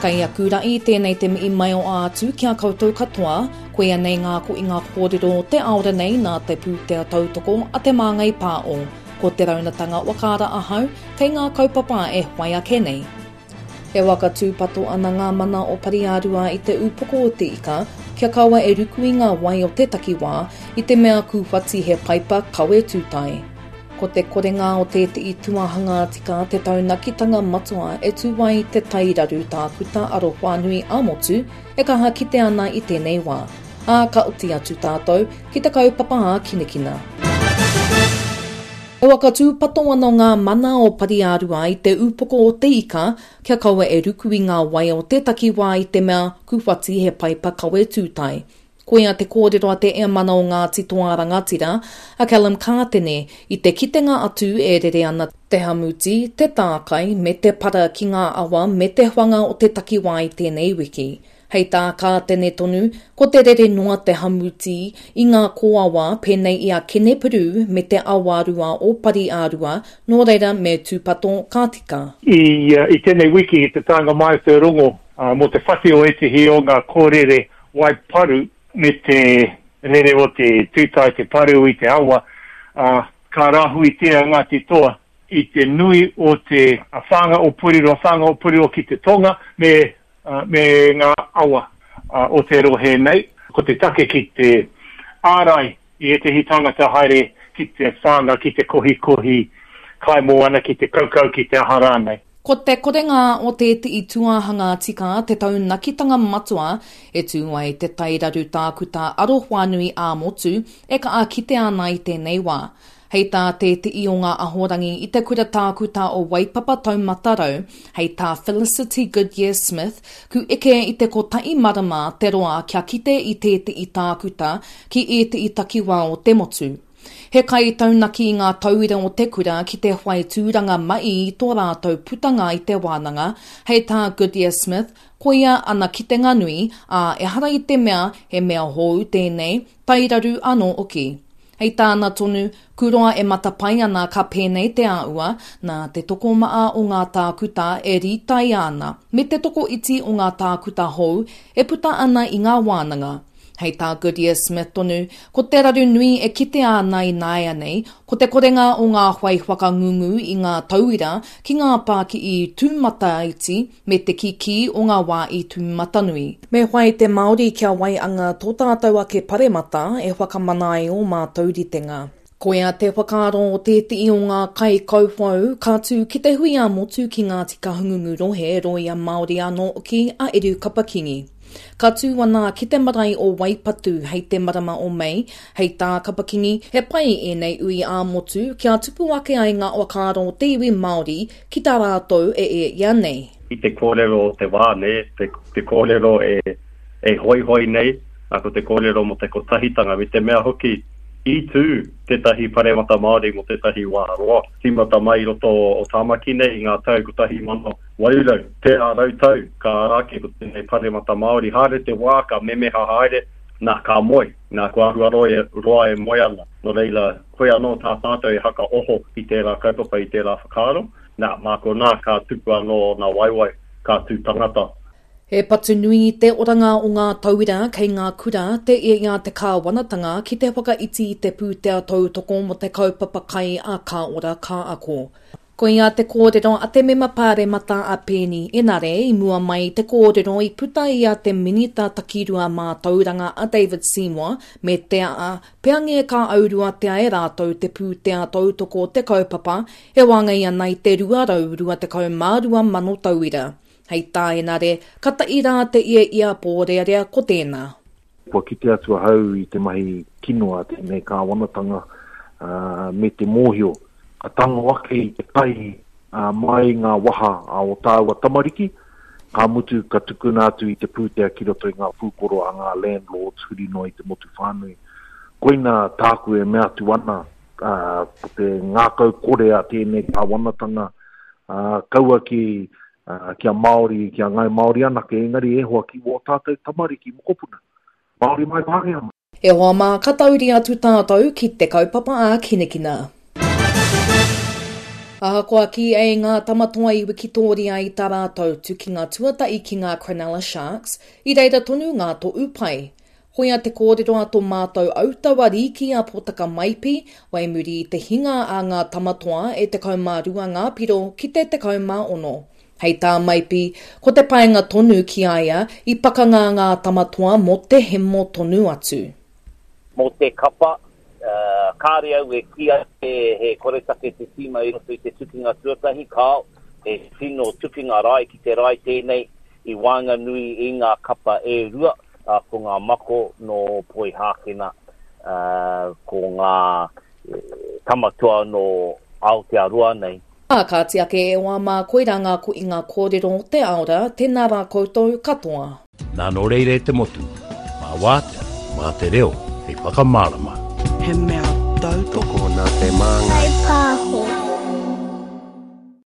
Kei aku raʻi tēnei te mihi mai o ātu ki a koutou katoa, koia nei ngā koinga kōrero o te aora nei nā te pūtea tautoko a Te Māngai Pāo. Ko te raunatanga whakaara ahau kei ngā kaupapa e whai ake nei. E waka tūpato ana ngā mana o Pari-ā-rua i te ūpoko o te ika kia kaua e ruku i ngā wai o te takiwā i te mea kūwhati he paipa kawe tūtae. Ko te korenga o tētehi tuahanga tika te taunakitanga matua e tū ai te tairaru tākuta arowhānui ā-motu e kaha kite ana i tēnei wā, ā, ka oti atu tātou ki te kaupapa ākinakina. E whakatūpato ana ngā mana o Pari-ā-rua i te ūpoko o te ika kia kaua e ruku i ngā wai o te takiwā i te mea kūwhati he paipa kawe tūtae. Koia te kōrero a te Eamana o Ngāti Toa Rangatira, a Callum Kātene, i te kitenga atu e rere ana te hamuti, te tākai, me te para ki ngā awa me te whanga o te takiwā i tēnei wiki. Hei tā Kātene tonu, ko te rere noa te hamuti i ngā kōawa pēnei i a Kenepuru me te awarua o Pari-ā-rua, nō reira me tūpato ka tika. I tēnei wiki i te taenga mai o te rongo mō te whati o ētehi o ngā kōrere wai paru me te rere o te tūtae te paru i te awa, ā, ka rāhuitia Ngāti Toa i te nui o te whānga o Puriroa, whānga o Puriroa ki te tonga me, me ngā awa o te rohe nei. Ko te take ki te ārai i ētehi tāngata haere ki te whānga, ki te kohikohi kai moana, ki te kaukau, ki te aha rānei. Ko te korenga o tētehi tūāhanga tika te taunakitanga matua e tū ai te tairaru tākuta arowhānui ā-motu e kaha kitea ana i tēnei wā. Hei tā tētehi o ngā ahorangi i te kura tākuta o Waipapa Taumata Rau, hei tā Felicity Goodyear-Smith, ku eke i te kotahi marama te roa kia kite i tētehi tākuta ki ētehi takiwā o te motu. He kai taunaki i ngā tauira o te kura ki te whai tūranga mahi i tō rātou putanga i te wānanga, hei tā Goodyear-Smith, koia ana kitenga nui, ā, ehara i te mea he mea hōu tēnei, tairaru anō hoki. Hei tāna tonu, kuroa e matapae ana ka pēnei te āhua, nā te tokomaha o ngā tākuta e rītaia ana, me te tokoiti o ngā tākuta hou e puta ana i ngā wānanga. Hei tā Goodyear Smith tonu, ko te raru nui e kitea ana ināianei, ko te korenga o ngā whai whakangungu i ngā tauira ki ngā pākihi tūmataiti me te kikī o ngā wāhi tūmatanui. Me whai te Māori kia waianga tō tātou ake paremata e whakamana ai ō mātou ritenga. Koia te whakaaro o tētehi o ngā kaikauwhau ka tū ki te hui ā-motu ki Ngāti Kahungungu rohe, rōia Māori anō hoki a Eru Kapakingi. Ka tū ana ki te marae o Waipatu hei te marama o Mei, hei tā Kapakingi, he pai ēnei ui ā-motu kia tupu ake ai ngā whakaaro o te iwi Māori ki tā rātou e e ia nei. I te kōrero o te wā, nē, te kōrero e hoihoi nei, ko te kōrero mō te kotahitanga, me te mea hoki, I tū tētahi paremata Māori mō tētahi wā roa, tīmata mai i roto o Tāmaki nei i ngā tau 1800, tērā rautau ka ara ake ko tēnei paremata Māori. Haere te wā ka memeha haere, nā, ka moe, nā, kua āhua roa e moe ana. Nō reira, koia anō tā tātou e hakaoho i tērā kaupapa, i tērā whakaaro, nā, mā konā ka tupu anō ōna waewae, ka tū tangata. He patu nui i te oranga o ngā tauira kei ngā kura te i a te kāwanatanga ki te whakaiti i te pūtea tautoko mō te kaupapa kai a Ka Ora Ka Ako. Koia te kōrero a te mema pāremata a Peeni Enare i mua mai i te kōrero i puta i a te Minita Takirua Mātauranga a David Seymour me te aa peange ka auruatea e rātou te pūtea tautoko o te kaupapa e wāngai ana i te 222,000 tauira. Hei tā Enare, ka taʻi rā te ia ia pōrearea ko tēnā. Kua kite atu ahau i te mahi kino a tēnei kāwanatanga me te mōhio ka tango ake i te kai mai ngā waha a o tāua tamariki, ka mutu ka tukuna atu i te pūtea ki roto i ngā pūkoro a ngā landlords huri noa i te motu whānui. Koina tāku e mea atu ana, ko te ngākau kore a tēnei kāwanatanga, kaua ki kia Māori, kia Ngāi Māori anake, engari e hoa ki wō tātou tamariki, mokopuna, Māori mai, Pākehā mai. E hoa mā, ka tauri atu tātou ki te kaupapa ākinakina. Ahakoa kī ai ngā Tamatoa i wikitōria i tā rātou tukinga tuatahi ki ngā Cronulla Sharks, i reira tonu ngā tohu pai. Koia te kōrero a tō mātou autaua rīki a Potaka Maipi, wai muri i te hinga a ngā Tamatoa e 12 ngā piro ki te 16. Hei tā Maipi, ko te painga tonu ki a ia i pakanga ngā Tamatoa mō te hemo tonu atu. Mō te kapa, kāre au e kī ake he koretake te tīma i roto i te tukinga tuatahi, kāo, he tino tukinga rae ki te rae tēnei i waenganui i ngā kapa e rua, ko ngā mako nō Poihākena, ko ngā Tamatoa nō Aotearoa nei. Ā, kāti ake e hoa mā, koirā ngā kohinga kōrero o te ao rā, tēnā rā koutou katoa. Nā nō reira e te motu, mā wātea, mā te reo hei whakamārama. He mea tautoko. Tokona te māngai. Whaipāho.